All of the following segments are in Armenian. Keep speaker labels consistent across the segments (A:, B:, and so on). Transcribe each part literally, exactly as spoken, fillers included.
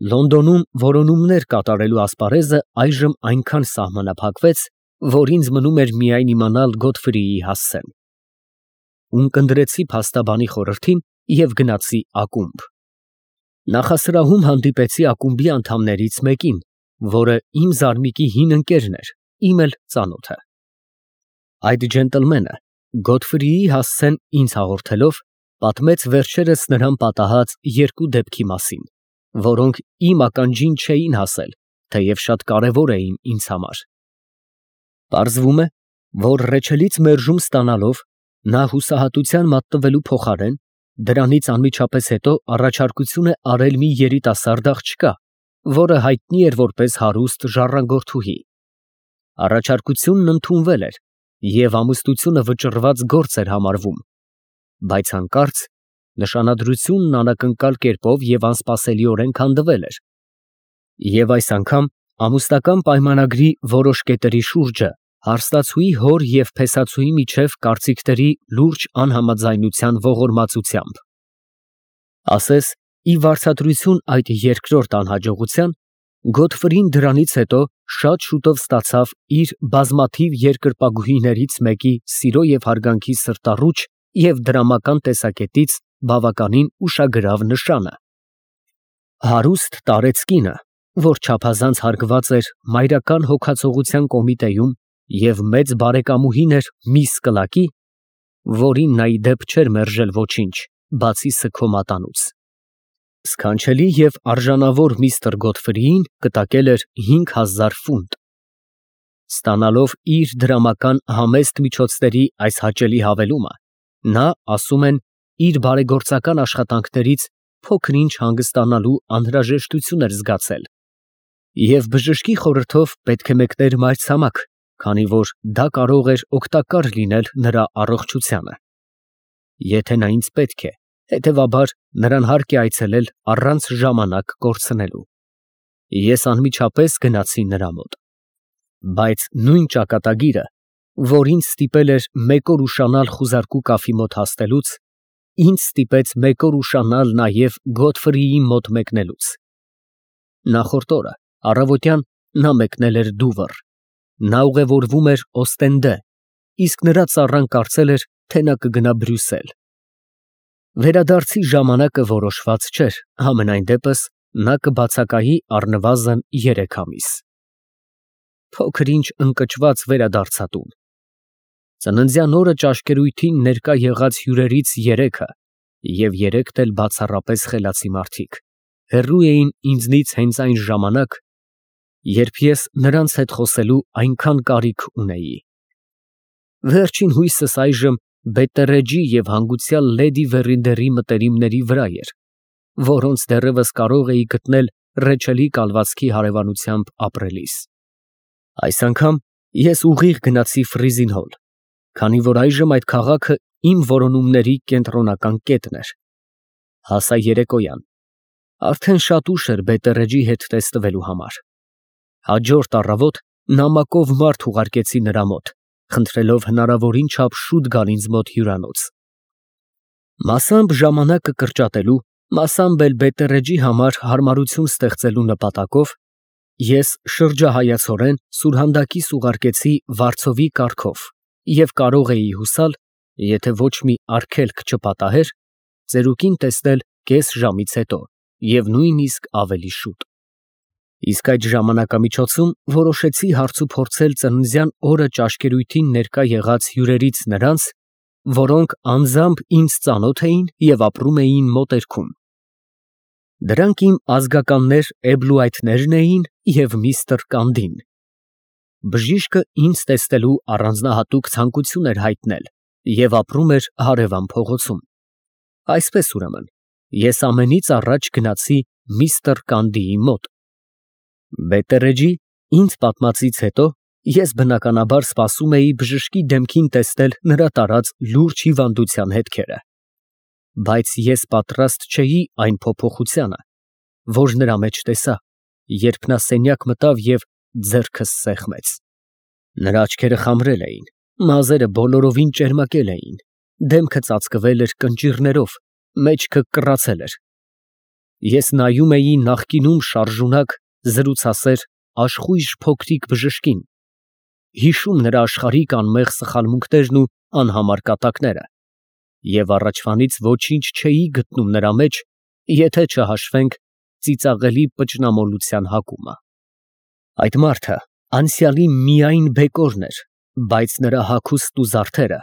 A: Լոնդոնում որոնումներ կատարելու ասպարեզը այժմ այնքան սահմանափակվեց, որ ինձ մնում էր միայն իմանալ Գոթֆրիի հասցեն։ Ունկնդրեցի փաստաբանի խորհրդին և գնացի ակումբ։ Նախասրահում հանդիպեցի ակումբի անդամներից մեկին, որը իմ զարմիկի հին ընկերն էր, իմ էլ ծանոթը։ Այդ ջենտլմենը Գոթֆրիի հասցեն ինձ հաղորդելով, պատմեց վերջերս նրան պատահած երկու դեպքի մասին, որոնք իմ ականջին չէին հասել, թեև շատ կարևոր էին ինձ համար։ Պարզվում է, որ Ռեչելից մերժում ստանալով, նա հուսահատության մատնվելու փոխարեն, դրանից անմիջապես հետո առաջարկություն է արել մի երիտասարդ աղջկա, որը հայտնի էր որպես հարուստ ժառանգորդուհի։ Առաջարկությունն ընդունվել էր և ամուսնությունը վճռված գործ էր համարվում, բայց հանկարծ նշանադրությունն անակնկալ կերպով և անսպասելիորեն քանդվել էր, և այս անգամ ամուսնական պայմանագրի որոշ կետերի շուրջը հարստացուի հոր և փեսացուի միջև կարծիքների լուրջ անհամաձայնության ողորմածությամբ։ Ասես ի վարձատրություն այդ երկրորդ անհաջողության, Գոթֆրին դրանից հետո շատ շուտով ստացավ իր բազմաթիվ երկրպագուհիներից մեկի սիրո և հարգանքի սրտառուչ և դրամական տեսակետից բավականին ուշագրավ նշանը։ Հարուստ տարեց կինը, որ չափազանց հարգված էր Մայրական հոգացողության կոմիտեում և մեծ բարեկամուհին էր միս Կլակի, որին նա ի դեպ չէր մերժել ոչինչ, բացի սգո մատանուց, սքանչելի և արժանավոր միստր Գոթֆրիին կտակել էր հինգ հազար ֆունտ։ Ստանալով իր դրամական համեստ միջոցների այս հաճելի հավելումը, նա, ասում են, իր բարեգործական աշխատանքներից փոքր֊ինչ հանգստանալու անհրաժեշտություն էր զգացել և բժշկի խորհրդով պետք է մեկներ մայրցամաք, քանի որ դա կարող էր օգտակար լինել նրա առողջությանը։ Եթե նա ինձ պետք է, հետևաբար նրան հարկ է այցելել առանց ժամանակ կորցնելու։ Ես անմիջապես գնացի նրա մոտ։ Բայց նույն ճակատագիրը, որ ինձ ստիպել էր մեկ օր ուշանալ խուզարկու կաֆի մոտ հասնելուց, ինձ ստիպեց մեկ օր ուշանալ նաև Գոթֆրիի մոտ մեկնելուց։ Նախորդ օրը առավոտյան նա մեկնել էր Դուվր, նա ուղևորվում էր Օստենդե, իսկ նրա ծառան կարծել էր, թե նա կգնա Բրյուսել։ Վերադարձի ժամանակը որոշված չէր, համենայն դեպս նա կբացակայի առնվազն երեք ամիս։ Փոքր֊ինչ ընկճված վերադարձա տուն։ Ծննդյան օրը ճաշկերույթին ներկա եղած հյուրերից երեքը և երեքն էլ բացառապես խելացի մարդիկ հեռու էին ինձնից հենց այն ժամանակ, երբ ես նրանց հետ խոսելու այնքան կարիք ունեի։ Վերջին հույսս այժմ Բետտերեջի և հանգուցյալ լեդի Վերինդերի մտերիմների վրա էր, որոնց դեռևս կարող էի գտնել Ռեչելի կալվածքի հարևանությամբ ապրելիս։ Այս անգամ ես ուղիղ գնացի Ֆրիզին Հոլ, քանի որ այժմ այդ քաղաքը իմ որոնումների կենտրոնական կետն էր։ Հասա երեկոյան, արդեն շատ ուշ էր Բետտերեջի հետ տեսնվելու համար։ Հաջորդ առավոտ նամակով մարդ ուղարկեցի նրա մոտ, խնդրելով հնարավորին չափ շուտ գալ ինձ մոտ հյուրանոց։ Մասամբ ժամանակը կրճատելու, մասամբ էլ Բետտերեջի համար հարմարություն ստեղծելու նպատակով ես շրջահայացորեն սուրհանդակիս ուղարկեցի վարձովի կարգով և կարող էի հուսալ, եթե ոչ մի արգելք չպատահեր, ծերուկին տեսնել կես ժամից հետո և նույնիսկ ավելի շուտ։ Իսկ այդ ժամանակամիջոցում որոշեցի հարցուփորձել ծննդյան օրը ճաշկերույթին ներկա եղած հյուրերից նրանց, որոնք անձամբ ինձ ծանոթ էին և ապրում էին մոտերքում։ Դրանք իմ ազգականներ Էբլուայթներն էին և միստր Կանդին։ Բժիշկը ինձ տեսնելու առանձնահատուկ ցանկություն էր հայտնել և ապրում էր հարևան փողոցում։ Այսպես, ուրեմն, ես ամենից առաջ գնացի միստր Կանդիի մոտ։ Բետտերեջի ինձ պատմածից հետո ես բնականաբար սպասում էի բժշկի դեմքին տեսնել նրա տարած լուրջ հիվանդության հետքերը։ Բայց ես պատրաստ չէի այն փոփոխությանը, որ նրա մեջ տեսա, երբ նա սենյակ մտավ և ձեռքս սեղմեց։ Նրա աչքերը խամրել էին, մազերը բոլորովին ճերմակել էին, դեմքը ծածկվել էր կնճիռներով, մեջքը կռացել էր։ Ես նայում էի նախկինում շարժունակ, զրուցասեր, աշխույժ փոքրիկ բժշկին, հիշում նրա աշխարհիկ անմեղ սխալմունքներն ու անհամար կատակները, և առաջվանից ոչինչ չէի գտնում նրա մեջ, եթե չհաշվենք ծիծաղելի պճնամոլության հակումը։ Այդ մարդը անցյալի միայն բեկորն էր, բայց նրա հագուստն ու զարդերը,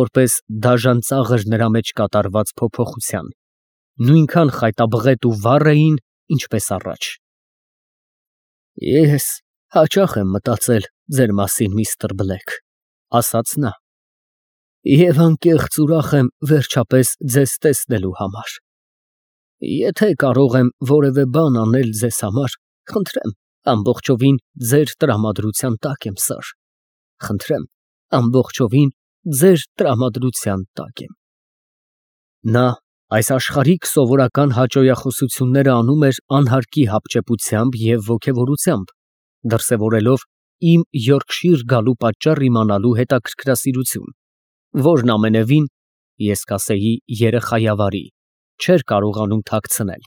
A: որպես դաժան ծաղր նրա մեջ կատարված փոփոխության, նույնքան խայտաբղետ ու վառ էին, ինչպես առաջ։ «Ես հաճախ եմ մտածել ձեր մասին, միստր Բլեք», ֊ ասաց նա, «և անկեղծ ուրախ եմ վերջապես ձեզ տեսնելու համար։ Եթե կարող եմ որևէ բան անել ձեզ համար, խնդրեմ, ամբողջովին ձեր տրամադրության տակ եմ, սըր, խնդրեմ, ամբողջովին ձեր տրամադրության տակ եմ»։ Նա այս աշխարհիկ սովորական հաճոյախոսությունները անում էր անհարկի հապճեպությամբ և ոգևորությամբ, դրսևորելով իմ Յորքշիր գալու պատճառ իմանալու հետաքրքրասիրություն, որն ամենևին, ես կասեի երեխայավարի, չէր կարողանում թաքցնել։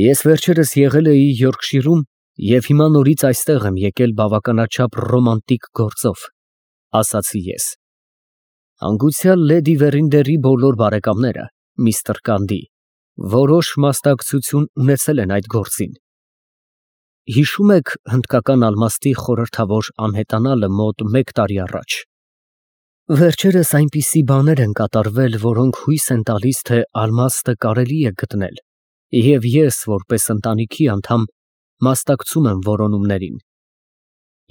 A: «Ես վերջերս եղել էի Յորքշիրում և հիմա նորից այստեղ եմ եկել բավականաչափ ռոմանտիկ գործով», ֊ ասացի ես։ «Հանգուցյալ լեդի Վերինդերի բոլոր բարեկամները, միստր Կանդի, որոշ մասնակցություն ունեցել են այդ գործին։ Հիշո՞ւմ եք հնդկական ալմաստի խորհրդավոր անհետանալը մոտ մեկ տարի առաջ։ Վերջերս այնպիսի բաներ են կատարվել, որոնք հույս են տալիս, թե ալմաստը կարելի է գտնել, և ես, որպես ընտանիքի անդամ, մասնակցում եմ որոնումներին։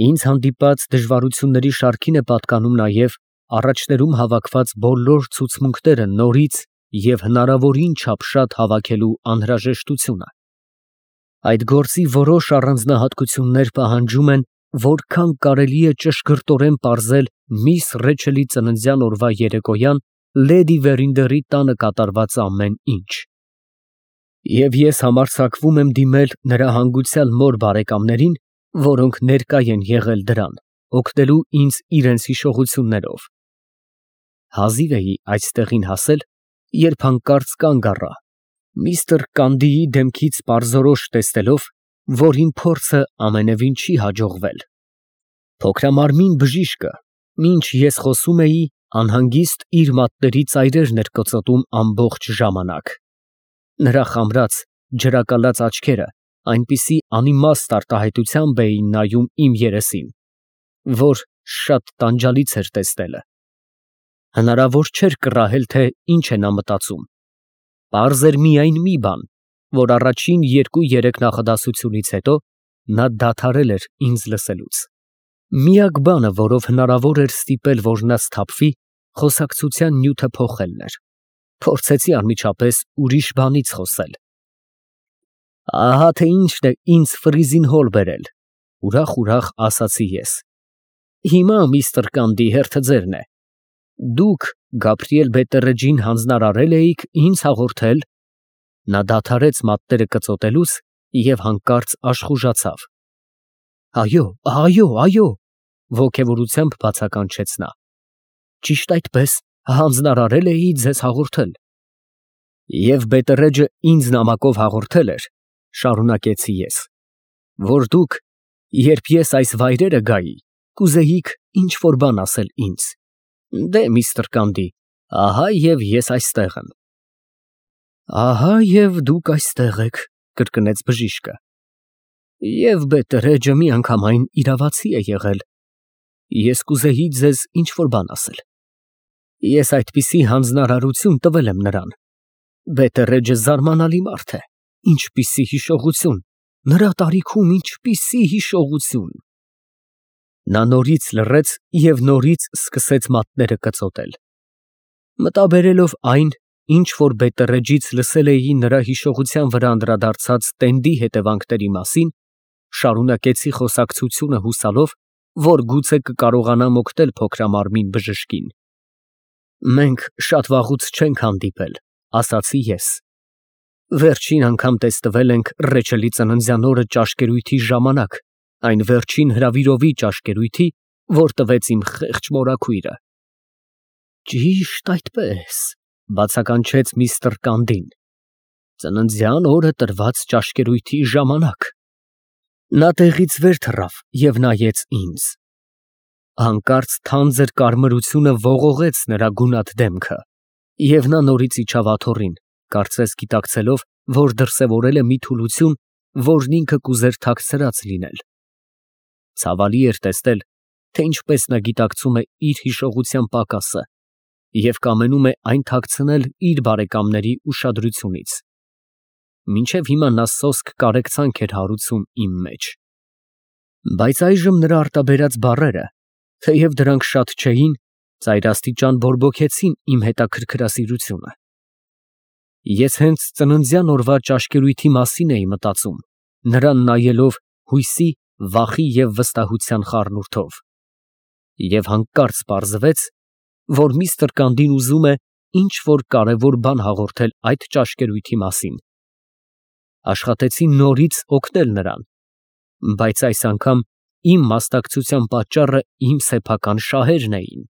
A: Ինձ հանդիպած դժվարությունների շարքին է պատկանում նաև առաջներում հավաքված բոլոր ցուցմունքները նորից և հնարավորին չափ շատ հավաքելու անհրաժեշտությունը։ Այդ գործի որոշ առանձնահատկություններ պահանջում են, որքան կարելի է ճշգրտորեն պարզել միս Ռեչելի ծննդյան օրվա երեկոյան լեդի Վերինդերի տանը կատարված ամեն ինչ։ Եվ ես համարձակվում եմ դիմել նրա հանգուցյալ մոր բարեկամներին, որոնք ներկա են եղել դրան, օգնելու ինձ իրենց հիշողություններով։ Հազիվ էի այստեղին հասել, երբ հանկարծ կանգ առա, միստր Կանդիի դեմքից պարզորոշ տեսնելով, որ իմ փորձը ամենևին չի հաջողվել։ Փոքրամարմին բժիշկը, մինչ ես խոսում էի, անհանգիստ իր մատների ծայրերն էր կծոտում ամբողջ ժամանակ։ Նրա խամրած, ջրակալած աչքերը այնպիսի անիմաստ արտահայտությամբ էին նայում իմ երեսին, որ շատ տանջալից էր տեսնելը։ Հնարավոր չէր կռահել, թե ինչ է նա մտածում։ Պարզ էր միայն մի բան, որ առաջին երկու֊երեք նախադասությունից հետո նա դադարել էր ինձ լսելուց։ Միակ բանը, որով հնարավոր էր ստիպել, որ նա սթափվի, խոսակցության նյութը փոխելն էր։ Փորձեցի անմիջապես ուրիշ բանից խոսել։ «Ահա թե ինչն է ինձ ֆրիզին հոլ բերել», ֊ ուրախ֊ուրախ ասացի ես։ «Հիմա, միստր Կանդի, հերթը ձերն է։ Դուք Գաբրիել Բետտերեջին հանձնարարել էիք ինձ հաղորդել…» Նա դադարեց մատները կծոտելուց և հանկարծ աշխուժացավ։ «Այո, այո, այո», ֊ ոգևորությամբ բացականչեց նա։ «Ճիշտ այդպես, հանձնարարել էի ձեզ հաղորդել»։ «Եվ Բետտերեջը ինձ նամակով հաղորդել էր, ֊ շարունակեցի ես, ֊ որ դուք, երբ ես այս վայրերը գայի, կուզեիք ինչ֊որ բան ասել ինձ։ Դե, միստր Կանդի, ահա և ես այստեղ եմ»։ «Ահա և դուք այստեղ եք», ֊ կրկնեց բժիշկը։ «Եվ Բետտերեջը միանգամայն իրավացի է եղել։ Ես կուզեի ձեզ ինչ֊որ բան ասել։ Ես այդպիսի հանձնարարություն տվել եմ նրան։ Բետտերեջը զարմանալի մարդ է, ինչպիսի հիշողություն, նրա տարիքում ինչպիսի հիշողություն»։ Նա նորից լռեց և նորից սկսեց մատները կծոտել։ Մտաբերելով այն, ինչ որ Բետտերեջից լսել էի նրա հիշողության վրա անդրադարձած տենդի հետևանքների մասին, շարունակեցի խոսակցությունը հուսալով, որ գուցե կկարողանամ օգնել փոքրամարմին բժշկին։ «Մենք շատ վաղուց չենք հանդիպել», ֊ ասացի ես։ «Վերջին անգամ տեսնվել ենք Ռեչելի ծննդյան օրը ճաշկերույթի ժամանակ, այն վերջին հրավիրովի ճաշկերույթի, որ տվեց իմ խեղճ մորաքույրը»։ «Ճիշտ այդպես», ֊ բացականչեց միստր Կանդին։ Ծննդյան օրը տրված ճաշկերույթի ժամանակ։ Նա տեղից վեր թռավ և նայեց ինձ։ Հանկարծ թանձր կարմրությունը ողողեց նրա գունատ դեմքը, և նա նորից իջավ աթոռին, կարծես գիտակցելով, որ դրսևորել է մի թուլություն, որն ինքը կուզեր թաքցրած լինել։ Ցավալի էր տեսնել, թե ինչպես նա գիտակցում է իր հիշողության պակասը և կամենում է այն թաքցնել իր բարեկամների ուշադրությունից։ Մինչև հիմա նա սոսկ կարեկցանք էր հարուցում իմ մեջ։ Բայց այժմ նրա արտաբերած բառերը, թեև դրանք շատ չէին, ծայրաստիճան բորբոքեցին իմ հետաքրքրասիրությունը։ Ես հենց ծննդյան օրվա ճաշկերույթի մասին էի մտածում, նրան նայելով հույսի, վախի և վստահության խառնուրդով։ Եվ հանկարծ պարզվեց, որ միստր Կանդին ուզում է ինչ֊որ կարևոր բան հաղորդել այդ ճաշկերույթի մասին։ Աշխատեցի նորից օգնել նրան, բայց այս անգամ իմ մասնակցության պատճառը իմ սեփական շահերն էին,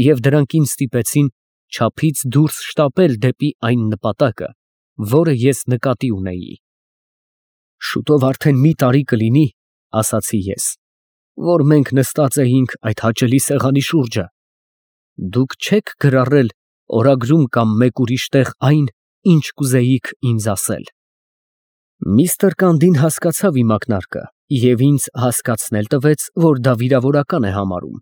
A: և դրանք ինձ ստիպեցին չափից դուրս շտապել դեպի այն նպատակը, որը ես նկատի ունեի։ Շուտով արդեն մի տարի կլինի, ասացի ես, որ մենք նստած էինք այդ հաճելի սեղանի շուրջը։ Դուք չե՞ք գրառել օրագրում կամ մեկ ուրիշ տեղ այն, ինչ կուզեիք ինձ ասել։ Միստր Կանդին հասկացավ իմ ակնարկը և ինձ հասկացնել տվեց, որ դա վիրավորական է համարում։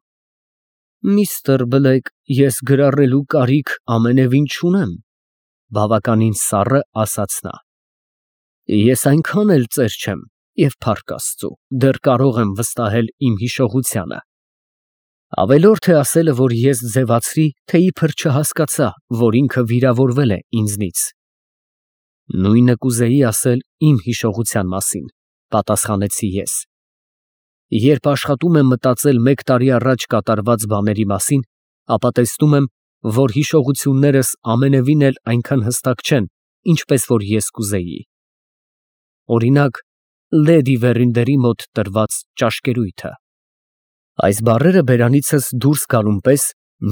A: Միստր Բլեկ, ես գրառելու կարիք ամենևին չունեմ, բավականին սառը ասաց նա։ Ես այնքան էլ ծեր չեմ, և փառք Աստծու, դեռ կարող եմ վստահել իմ հիշողությանը։ Ավելորդ է ասելը, որ ես ձևացրի, թե իբր չհասկացա, որ ինքը վիրավորվել է ինձնից։ Նույնը կուզեի ասել իմ հիշողության մասին, պատասխանեցի ես։ Երբ աշխատում եմ մտածել մեկ տարի առաջ կատարված բաների մասին, ապա տեսնում եմ, որ հիշողություններս ամենևին էլ այնքան հստակ չեն, ինչպես որ ես կուզեի։ Օրինակ, լեդի Վերինդերի մոտ տրված ճաշկերույթը։ Այս բառերը բերանիցս դուրս գալուն պես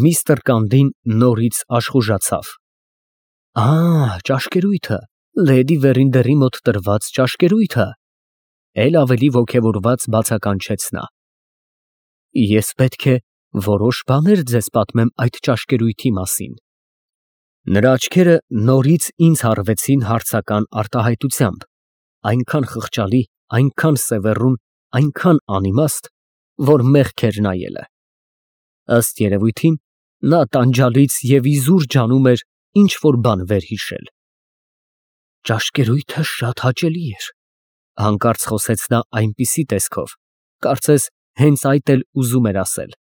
A: միստր Կանդին նորից աշխուժացավ։ Ա, ճաշկերույթը, լեդի Վերինդերի մոտ տրված ճաշկերույթը, էլ ավելի ոգևորված բացականչեց նա։ Ես պետք է որոշ բաներ ձեզ պատմեմ այդ ճաշկերույթի մասին։ Նրա աչքերը նորից ինձ հառվեցին հարցական արտահայտությամբ, այնքան խղճալի, այնքան սևեռուն, այնքան անիմաստ, որ մեղք էր նայելը։ Ըստ երևույթին, նա տանջալից և իզուր ջանում էր ինչ֊որ բան վերհիշել։ Ճաշկերույթը շատ հաճելի էր, հանկարծ խոսեց նա այնպիսի տեսքով, կարծես հենց այդ էլ ուզում էր ասել։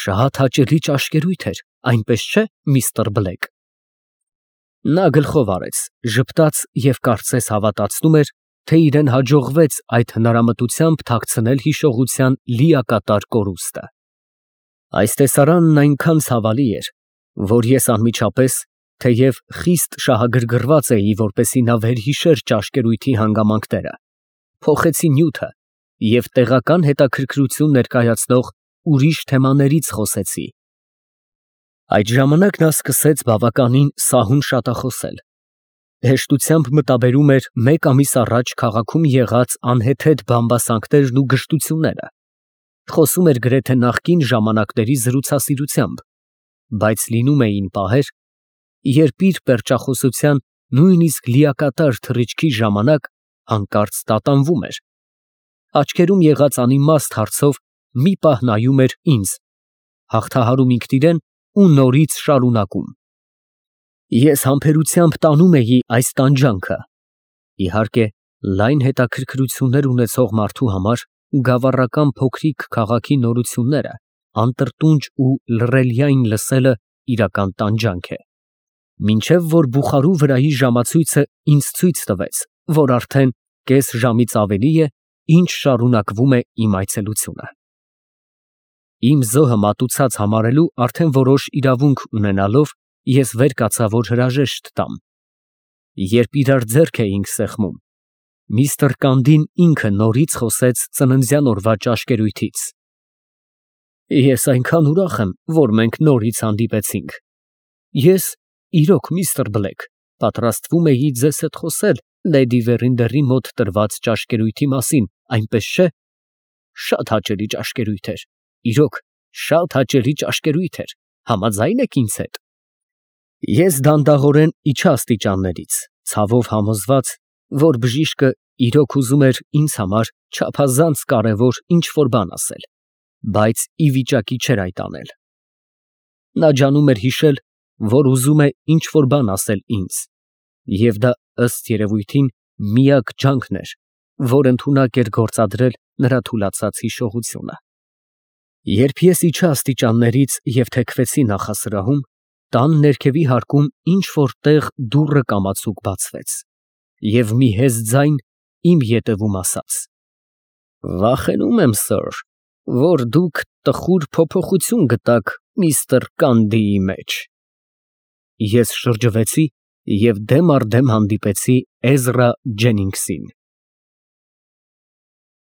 A: Շատ հաճելի ճաշկերույթ էր, այնպես չէ՞, միստր Բլեկ։ Նա գլխով արեց, ժպտաց և կարծես հավատացնում էր, թե իրան հաջողվեց այդ հնարամտությամբ թաքցնել հիշողության լիակատար կորուստը։ Այս տեսարանն այնքան ցավալի էր, որ ես անմիջապես, թեև խիստ շահագրգռված էի, որպեսզի նա վերհիշեր ճաշկերույթի հանգամանքները, փոխեցի նյութը և տեղական հետաքրքրություն ներկայացնող ուրիշ թեմաներից խոսեցի։ Այդ ժամանակ նա սկսեց բավականին սահուն շատախոսել։ Հեշտությամբ մտաբերում էր մեկ ամիս առաջ քաղաքում եղած անհեթեթ բամբասանքներն ու գժտությունները, խոսում էր գրեթե նախկին ժամանակների զրուցասիրությամբ, բայց լինում էին պահեր, երբ իր պերճախոսության նույնիսկ լիակատար թռիչքի ժամանակ հանկարծ տատանվում էր, աչքերում եղած անիմաստ հարցով մի պահ նայում էր ինձ, հաղթահարում ինքն իրեն ու նորից շարունակում։ Ես համբերությամբ տանում էի այս տանջանքը։ Իհարկե, լայն հետաքրքրություններ ունեցող մարդու համար գավառական փոքրիկ քաղաքի նորությունները, անտրտունջ ու լռելյայն լսելը իրական տանջանք է։ Մինչև որ Բուխարու վրայի ժամացույցը ինձ ցույց տվեց, որ արդեն կես ժամից ավելի է, ինչ շարունակվում է իմ այցելությունը։ Իմ զոհը մատուցած համարելու արդեն որոշ իրավունք ունենալով, ես վեր կացա, որ հրաժեշտ տամ։ Երբ իրար ձեռք էինք սեղմում, միստր Կանդին ինքը նորից խոսեց ծննդյան օրվա ճաշկերույթից։ Ես այնքան ուրախ եմ, որ մենք նորից հանդիպեցինք։ Ես, իրոք, միստր Բլեկ, Պատրաստվում էի ձեզ հետ խոսել լեդի Վերինդերի մոտ տրված ճաշկերույթի մասին, այնպես չէ՞։ Շատ հաճելի ճաշկերույթ էր, իրոք, շատ հաճելի ճաշկերույթ էր, համաձա՞յն եք ինձ հետ։ Ես դանդաղորեն իջա աստիճաններից, ցավով համոզված, որ բժիշկը իրոք ուզում էր ինձ համար չափազանց կարևոր ինչ֊որ բան ասել, բայց ի վիճակի չէր այդ անել։ Նա ջանում էր հիշել, որ ուզում է ինչ֊որ բան ասել ինձ, և դա, ըստ երևույթին, միակ ջանքն էր, որ ընդունակ էր գործադրել նրա թուլացած հիշողությունը։ Երբ ես իջա աստիճաններից և թեքվեցի նախասրահում, տան ներքևի հարկում ինչ֊որ տեղ դուռը կամացուկ բացվեց, և մի հեզ ձայն իմ ետևում ասաց. «Վախենում եմ, սըր, որ դուք տխուր փոփոխություն գտաք միստր Կանդիի մեջ»։ Ես շրջվեցի և դեմ առ դեմ հանդիպեցի Էզրա Ջենինգսին։